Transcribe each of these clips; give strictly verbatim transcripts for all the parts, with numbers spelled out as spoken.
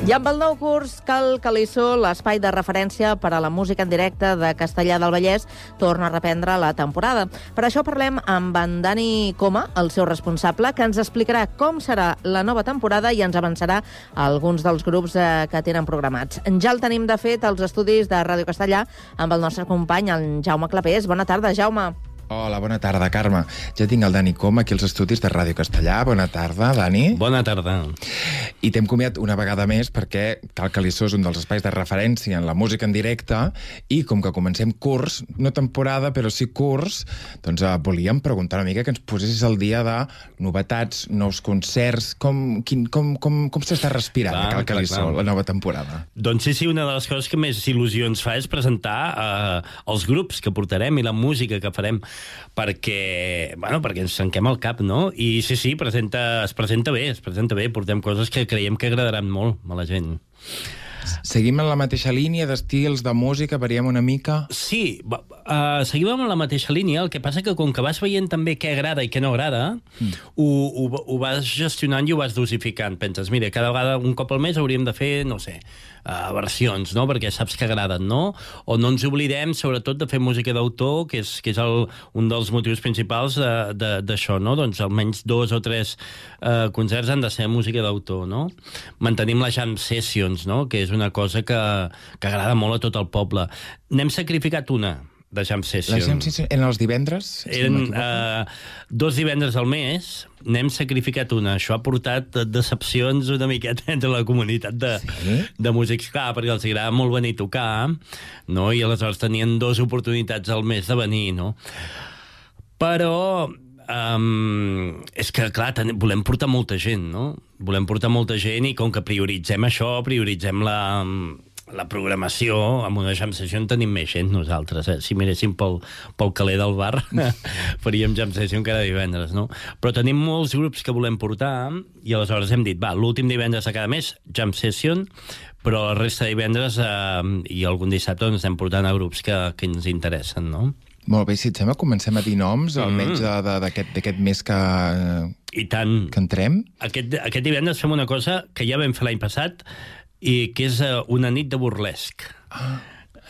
I amb el nou curs Cal Calissó, l'espai de referència per a la música en directe de Castellar del Vallès, torna a reprendre la temporada. Per això parlem amb en Dani Coma, el seu responsable, que ens explicarà com serà la nova temporada i ens avançarà alguns dels grups eh, que tenen programats. Ja el tenim, de fet, als estudis de Ràdio Castellar amb el nostre company, en Jaume Clapés. Bona tarda, Jaume. Hola, bona tarda, Carme. Ja tinc el Dani Coma aquí als estudis de Ràdio Castellar. Bona tarda, Dani. Bona tarda. I t'hem comiat una vegada més perquè Cal Calissó és un dels espais de referència en la música en directe i com que comencem curs, no temporada, però sí curs, doncs eh, volíem preguntar una mica que ens posessis al dia de novetats, nous concerts, com, quin, com, com, com s'està respirant clar, a Cal Calissó, la nova temporada. Doncs sí, sí, una de les coses que més il·lusió ens fa és presentar eh, els grups que portarem i la música que farem perquè, bueno, perquè ens tanquem el cap, no? I sí, sí, presenta, es presenta bé, es presenta bé, portem coses que creiem que agradaran molt a la gent. Seguim en la mateixa línia d'estils de música, variem una mica? Sí, uh, seguim amb la mateixa línia, el que passa que com que vas veient també què agrada i què no agrada, mm. ho, ho, ho vas gestionant i ho vas dosificant. Penses, mira, cada vegada, un cop al mes hauríem de fer, no sé, uh, versions, no?, perquè saps que agraden, no? O no ens oblidem, sobretot, de fer música d'autor, que és, que és el, un dels motius principals d'això, no? Doncs almenys dos o tres uh, concerts han de ser música d'autor, no? Mantenim les jam sessions, no?, que és una cosa que, que agrada molt a tot el poble. N'hem sacrificat una de jam session. Les jam session eren els divendres? Eren si uh, dos divendres al mes, n'hem sacrificat una. Això ha portat decepcions una miqueta entre la comunitat de, sí? de músics, clar, perquè els agrada molt venir a tocar, no? I aleshores tenien dues oportunitats al mes de venir, no? Però Um, és que, clar, ten, volem portar molta gent, no? Volem portar molta gent i com que prioritzem això, prioritzem la, la programació, amb una jam session tenim més gent nosaltres, eh? Si miréssim pel, pel caler del bar faríem jam session cada divendres, no? Però tenim molts grups que volem portar i aleshores hem dit, va, l'últim divendres de cada mes jam session, però la resta de divendres eh, i algun dissabte ens anem portant a grups que, que ens interessen, no? Molt bé, si et sembla, comencem a dir noms, mm. almenys d'aquest mes que, I tant. que entrem. Aquest, aquest divendres fem una cosa que ja vam fer l'any passat i que és una nit de burlesc. Ah.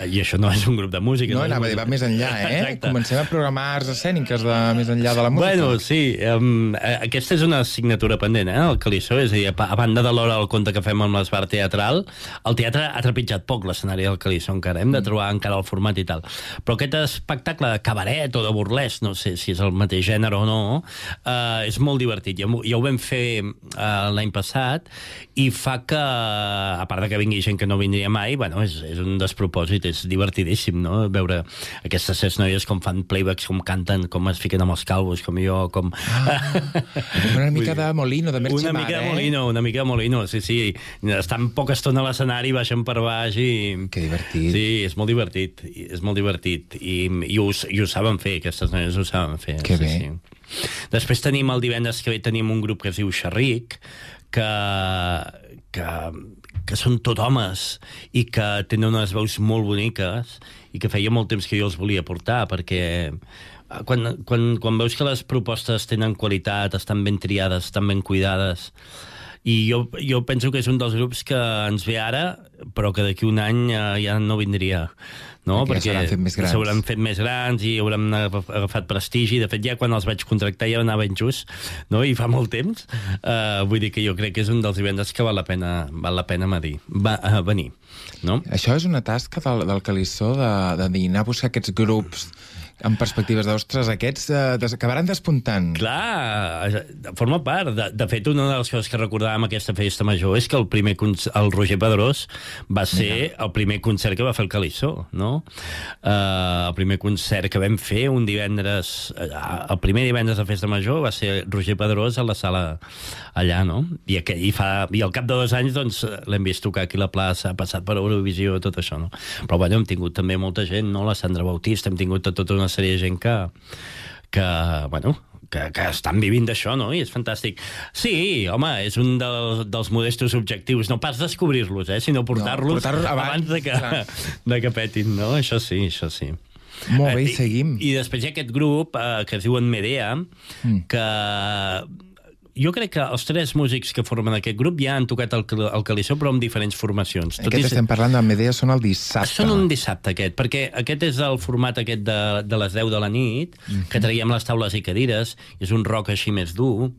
I això no és un grup de música. No, anava a dir, va més enllà, eh? Exacte. Comencem a programar arts escèniques de més enllà de la música. Bueno, sí. Um, aquesta és una assignatura pendent, eh? El Calissó, és a dir, a banda de l'hora del conte que fem amb l'esbar teatral, el teatre ha trepitjat poc l'escenari del Calissó encara. Hem de trobar encara el format i tal. Però aquest espectacle de cabaret o de burlesc, no sé si és el mateix gènere o no, uh, és molt divertit. Ja, ja ho vam fer uh, l'any passat i fa que, a part de que vingui gent que no vindria mai, bueno, és, és un despropòsit, és divertidíssim, no?, veure aquestes set noies com fan playbacks, com canten, com es fiquen amb els calvos, com jo, com... Ah, una mica de Molino, de Merchi Mar, Una mica eh? de Molino, una mica de Molino, sí, sí. Estan poca estona a l'escenari, baixen per baix i... Que divertit. Sí, és molt divertit, és molt divertit. I, i, ho, i ho saben fer, aquestes noies ho saben fer. Que sí, bé. Sí. Després tenim, el divendres que ve, tenim un grup que es diu Xerric, que... que que són tot homes i que tenen unes veus molt boniques i que feia molt temps que jo els volia portar, perquè quan, quan, quan veus que les propostes tenen qualitat, estan ben triades, estan ben cuidades, i jo, jo penso que és un dels grups que ens ve ara, però que d'aquí un any eh, ja no vindria, no? Perquè, perquè s'hauran fet més grans i hauran agafat prestigi. De fet, ja quan els vaig contractar ja anava injust, no? I fa molt temps. Uh, vull dir que jo crec que és un dels divendres que val la pena, val la pena medir, va, uh, venir, no? Això és una tasca del, del Calissó, de, de anar a buscar aquests grups amb perspectives d'ostres, aquests eh, des, acabaran despuntant. Clar, forma part. De, de fet, una de les coses que recordàvem aquesta festa major és que el primer el Roger Pedrós va ser Mira. el primer concert que va fer el Calissó, no? Uh, el primer concert que vam fer un divendres, uh, el primer divendres de festa major va ser Roger Pedrós a la sala allà, no? I, aqu i, fa, i al cap de dos anys doncs, l'hem vist tocar aquí a la plaça, ha passat per Eurovisió, tot això, no? Però bueno, hem tingut també molta gent, no? La Sandra Bautista, hem tingut tota una sèrie de gent que, que bueno, que, que estan vivint d'això, no? I és fantàstic. Sí, home, és un dels, dels modestos objectius, no pas descobrir-los, eh? Sinó portar-los no, portar abans, abans de que, de que petin, no? Això sí, això sí. Molt bé, i seguim. I, i després hi ha aquest grup eh, que es diuen Medea, mm. que jo crec que els tres músics que formen aquest grup ja han tocat el, el Calissó, però amb diferents formacions. Tot aquest i... estem parlant de Medea, són el dissabte. Són un dissabte, aquest, perquè aquest és el format aquest de, de les deu de la nit, mm-hmm. que traiem les taules i cadires, és un rock així més dur,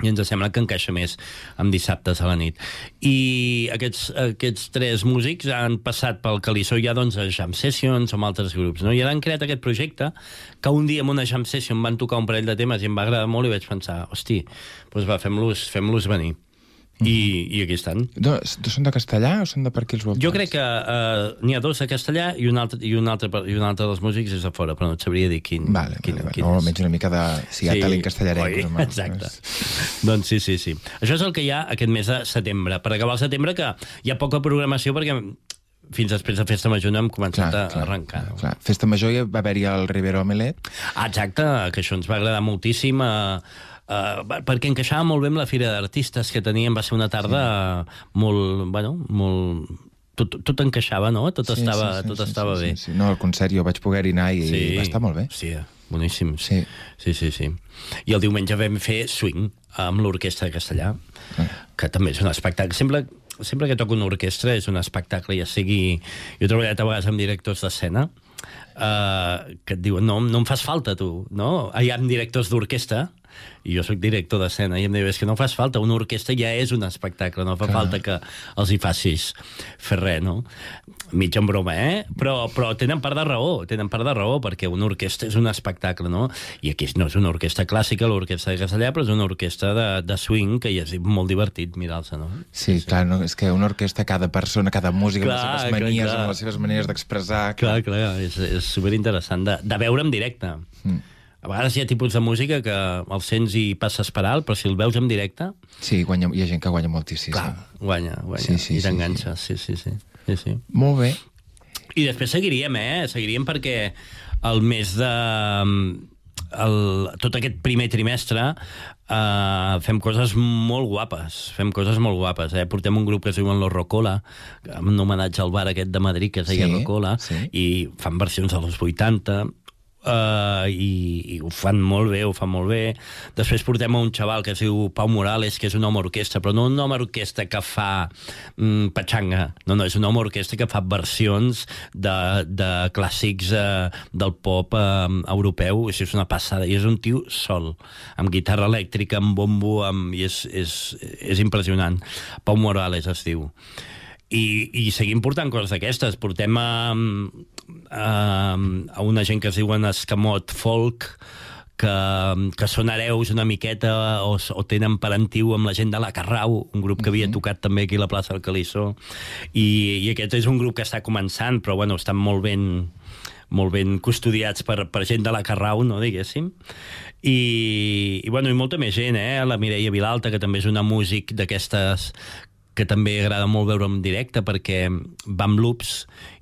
i ens sembla que encaixa més amb dissabtes a la nit. I aquests, aquests tres músics han passat pel Calissó ja doncs, a jam sessions o amb altres grups, no? I ara han creat aquest projecte que un dia en una jam session van tocar un parell de temes i em va agradar molt i vaig pensar, hosti, doncs va, fem-los fem-los venir. I, i aquí estan. No, són de castellà o són de per aquí els voltants? Jo crec que uh, n'hi ha dos de castellà i un, altre, i, un altre, i un altre dels músics és de fora, però no et sabria dir quin, vale, quin, vale, quin no, és. almenys una mica de... Si hi ha sí. talent castellarec. Oi, exacte. Doncs sí, sí, sí. Això és el que hi ha aquest mes de setembre. Per acabar el setembre, que hi ha poca programació perquè fins després de Festa Major no hem començat clar, a clar, arrencar. No? Clar. Festa Major hi va haver-hi el Rivero Omelet. Ah, exacte, que això ens va agradar moltíssim. Uh, uh, perquè encaixava molt bé amb la Fira d'Artistes que teníem. Va ser una tarda sí. molt, bueno, molt... Tot, tot encaixava, no? Tot sí, estava, sí, sí, tot sí, estava sí, bé. Sí, sí. No, al concert jo vaig poder anar i sí. va estar molt bé. Sí, boníssim. Sí. sí, sí, sí. I el diumenge vam fer swing amb l'Orquestra de Castellà, ah. que també és un espectacle. Sempre, sempre que toco una orquestra és un espectacle, ja sigui... Jo he treballat a vegades amb directors d'escena uh, que et diuen, no, no em fas falta, tu, no? Hi ha directors d'orquestra i jo sóc director d'escena i em diu, és que no fas falta, una orquestra ja és un espectacle, no fa Clar. falta que els hi facis fer res, no? Mig en broma, eh? Però, però tenen part de raó, tenen part de raó, perquè una orquestra és un espectacle, no? I aquí no és una orquestra clàssica, l'orquestra de Castellà, però és una orquestra de, de swing, que ja és molt divertit mirar-se, no? Sí, sí, clar, no? És que una orquestra, cada persona, cada música, clar, amb les seves manies, clar, clar. amb les seves maneres d'expressar... Clar, clar, clar, és, és superinteressant de, de veure en directe. Mm. A vegades hi ha tipus de música que el sents i passes per alt, però si el veus en directe... Sí, guanya, hi ha gent que guanya moltíssim. Clar, guanya, guanya, sí, sí, i t'enganxa, sí, sí, sí, sí, sí. Molt bé. I després seguiríem, eh? Seguiríem perquè el mes de... El, tot aquest primer trimestre uh, fem coses molt guapes, fem coses molt guapes, eh? Portem un grup que es diuen Los Rocola, amb un homenatge al bar aquest de Madrid que es deia sí, Rocola, sí. i fan versions dels vuitanta... Uh, i, i ho fan molt bé, ho fan molt bé. Després portem a un xaval que es diu Pau Morales, que és un home orquestra, però no un home orquestra que fa mm, patxanga, no, no, és un home orquestra que fa versions de, de clàssics uh, del pop uh, europeu, és una passada, i és un tio sol, amb guitarra elèctrica, amb bombo, amb... i és, és, és impressionant. Pau Morales es diu. I, i seguim portant coses d'aquestes. Portem a, a, a una gent que es diuen Escamot Folk, que, que són hereus una miqueta o, o tenen parentiu amb la gent de la Carrau, un grup que havia tocat també aquí a la plaça del Calissó, i, i aquest és un grup que està començant, però bueno, estan molt ben molt ben custodiats per, per gent de la Carrau, no, diguéssim. I, i, bueno, i molta més gent, eh? La Mireia Vilalta, que també és una músic d'aquestes que també agrada molt veure en directe perquè va amb loops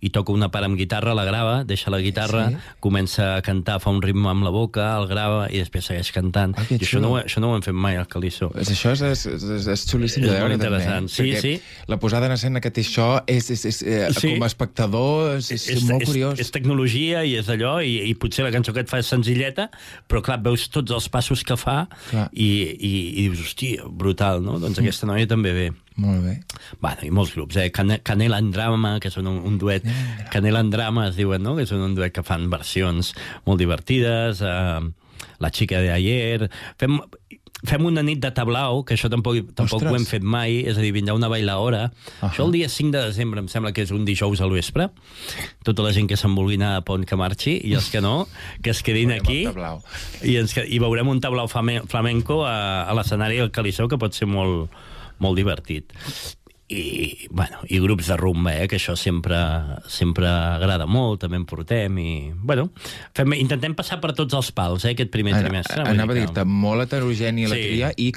i toca una part amb guitarra, la grava, deixa la guitarra, sí. comença a cantar, fa un ritme amb la boca, el grava i després segueix cantant. Ah, I això no, això no ho hem fet mai al Calissó. Això és, és, és, és xulíssim de veure, interessant. També. Sí, sí. La posada en escena que té això és, és, és, eh, sí. com a espectador és, és, és molt curiós. És, és tecnologia i és allò, i, i potser la cançó que et fa és senzilleta, però clar, veus tots els passos que fa i, i, i dius, hòstia, brutal, no? Doncs mm. aquesta noia també ve. Molt bé. Bueno, i molts grups, eh? Can Canela en Drama, que són un, un duet... Canela en Drama es diuen, no? Que són un duet que fan versions molt divertides. Uh, La xica de ayer... Fem, fem una nit de tablau, que això tampoc, tampoc ho hem fet mai, és a dir, vindrà una bailaora. Uh-huh. Això el dia cinc de desembre, em sembla que és un dijous al vespre. Tota la gent que se'n vulgui anar a Pont que marxi, i els que no, que es quedin aquí. I, ens, I veurem un tablau flamenco a, a l'escenari del Calissó, que pot ser molt... molt divertit. I, bueno, i grups de rumba, eh, que això sempre, sempre agrada molt, també en portem, i, bueno, fem, intentem passar per tots els pals, eh, aquest primer Ana, trimestre. Anava a dir-te, molt heterogènia la sí. tria, i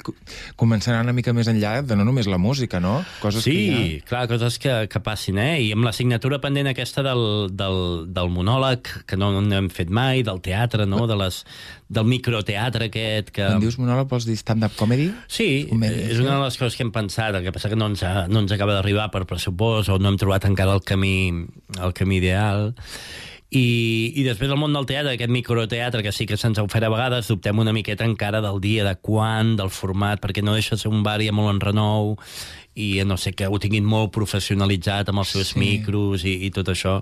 començarà una mica més enllà de no només la música, no? Coses sí, que ha... clar, coses que, que passin, eh? I amb la signatura pendent aquesta del, del, del monòleg, que no, no hem fet mai, del teatre, no? De les, del microteatre aquest que... Quan dius monòleg vols dir stand-up comedy? Sí, comèdia, és una de les coses que hem pensat, el que passa que no ens, ha, no ens acaba d'arribar per pressupost o no hem trobat encara el camí, el camí ideal. I, i després el món del teatre, aquest microteatre, que sí que se'ns ha ofert a vegades, dubtem una miqueta encara del dia, de quan, del format, perquè no deixa de ser un bar i molt enrenou, i no sé, que ho tinguin molt professionalitzat amb els seus sí. micros i, i tot això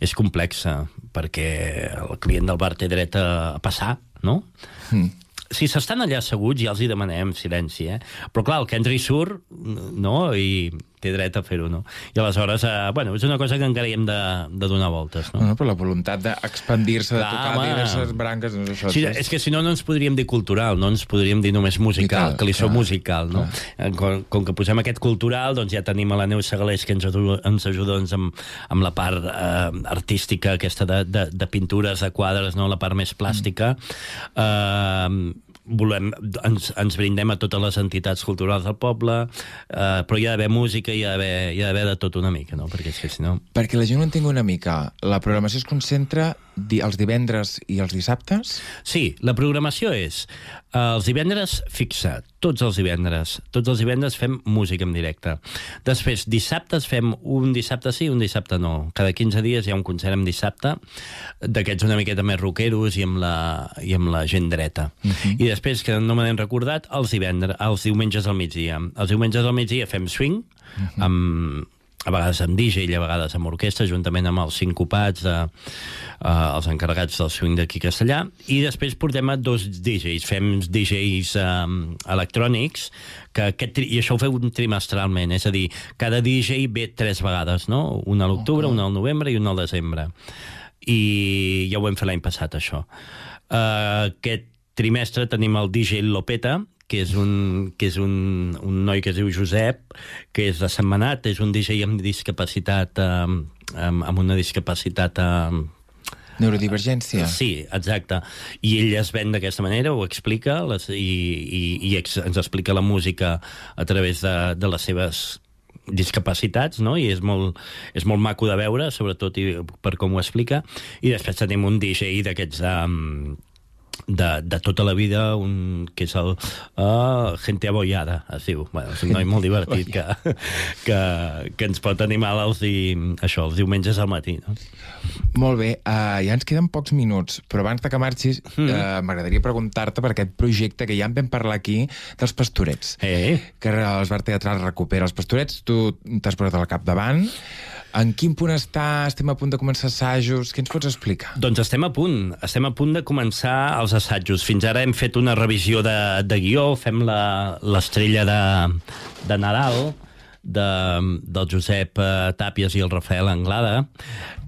és complexa, perquè el client del bar té dret a passar, no? Mm. Si s'estan allà asseguts, ja els hi demanem silenci, eh? Però clar, el que entra i surt, no? I té dret a fer-ho, no? I aleshores, eh, bueno, és una cosa que encara hi hem de, de donar voltes, no? No, però la voluntat d'expandir-se, de tocar home. diverses branques... No és, això, sí, és que si no, no ens podríem dir cultural, no ens podríem dir només musical, que li som musical, no? Com, com que posem aquest cultural, doncs ja tenim a la Neus Segalés, que ens ajuda, ens ajuda doncs, amb, amb la part eh, artística, aquesta de, de, de pintures, de quadres, no? La part més plàstica. Mm. Eh, volem, ens, ens brindem a totes les entitats culturals del poble, eh, però hi ha d'haver música, hi ha d'haver hi ha d'haver de tot una mica, no? Perquè és que si no... Perquè la gent ho entengui una mica, la programació es concentra di els divendres i els dissabtes? Sí, la programació és eh, els divendres fixa, tots els divendres. Tots els divendres fem música en directe. Després, dissabtes fem un dissabte sí, un dissabte no. Cada quinze dies hi ha un concert en dissabte, d'aquests una miqueta més rockeros i amb la, i amb la gent dreta. Uh-huh. I després, que no me n'hem recordat, els divendres, els diumenges al migdia. Els diumenges al migdia fem swing, uh-huh. amb, a vegades amb D J i a vegades amb orquestra, juntament amb els sincopats, de, uh, els encarregats del swing d'aquí a Castellà, i després portem a dos D Js, fem D Js um, electrònics, que aquest, i això ho fem trimestralment, és a dir, cada D J ve tres vegades, no? Un a l'octubre, okay. un al novembre i un al desembre. I ja ho vam fer l'any passat, això. Uh, aquest trimestre tenim el D J Lopeta, que és un, que és un, un noi que es diu Josep, que és de Sentmenat, és un D J amb discapacitat, eh, amb, amb una discapacitat... Eh, Neurodivergència. Sí, exacte. I ell es ven d'aquesta manera, ho explica, les, i, i, i ex, ens explica la música a través de, de les seves discapacitats, no? I és molt, és molt maco de veure, sobretot i per com ho explica. I després tenim un D J d'aquests... Um, De, de tota la vida, un, que és el uh, Gente Abollada, es diu. Bueno, és un noi molt divertit que, que, que ens pot animar els, i, això, els diumenges al matí. No? Molt bé, uh, ja ens queden pocs minuts, però abans de que marxis mm. uh, m'agradaria preguntar-te per aquest projecte que ja en vam parlar aquí dels Pastorets, eh. que el Bar Teatral recupera els Pastorets, tu t'has posat al capdavant. En quin punt està? Estem a punt de començar assajos? Què ens pots explicar? Doncs estem a punt. Estem a punt de començar els assajos. Fins ara hem fet una revisió de, de guió, fem l'estrella de, de Nadal, de, del Josep Tàpies i el Rafael Anglada,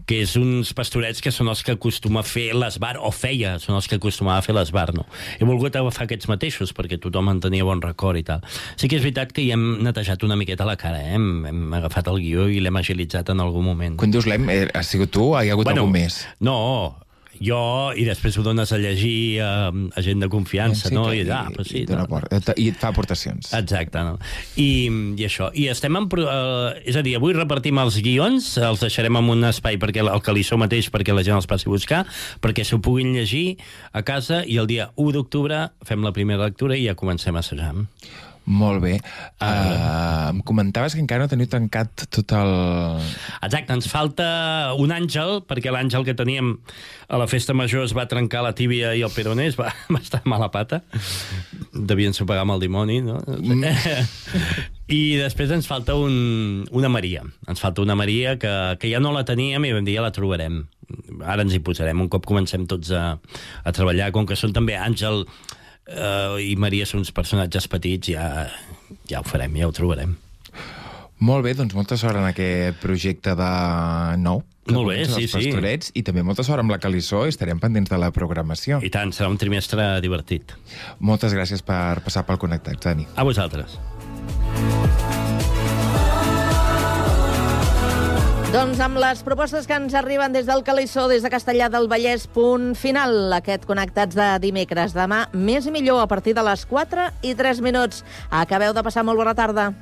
que és uns pastorets que són els que acostuma a fer l'Esbar, o feia, són els que acostumava a fer l'Esbar, no? He volgut agafar aquests mateixos, perquè tothom en tenia bon record i tal. Sí que és veritat que hi hem netejat una miqueta la cara, eh? Hem, hem agafat el guió i l'hem agilitzat en algun moment. Quan dius l'hem, eh, has sigut tu o hi ha hagut bueno, algú més? No, jo, i després ho dones a llegir a, a gent de confiança, sí, no? I, ah, i, sí, i, no. por, i et fa aportacions. Exacte, no? I, i això. I estem en... Uh, és a dir, avui repartim els guions, els deixarem en un espai perquè el Calissó mateix, perquè la gent els passi a buscar, perquè s'ho puguin llegir a casa, i el dia u d'octubre fem la primera lectura i ja comencem a assajar. Molt bé. Uh, em comentaves que encara no teniu tancat tot el... Exacte, ens falta un àngel, perquè l'àngel que teníem a la festa major es va trencar la tíbia i el peroné, es va, va estar mala pata. Devien sopegar amb el dimoni, no? Mm. I després ens falta un, una Maria. Ens falta una Maria que, que ja no la teníem i vam dir ja la trobarem. Ara ens hi posarem. Un cop comencem tots a, a treballar, com que són també àngel... Uh, i Maria són uns personatges petits, ja, ja ho farem, ja ho trobarem. Molt bé, doncs molta sort en aquest projecte de nou. Molt bé, sí, sí. Pastorets, i també molta sort amb la Calissó, i estarem pendents de la programació. I tant, serà un trimestre divertit. Moltes gràcies per passar pel Connectats, Dani. A vosaltres. Doncs amb les propostes que ens arriben des del Calissó, des de Castellà del Vallès, punt final, aquest Connectats de dimecres. Demà, més i millor, a partir de les quatre i tres minuts. Acabeu de passar molt bona tarda.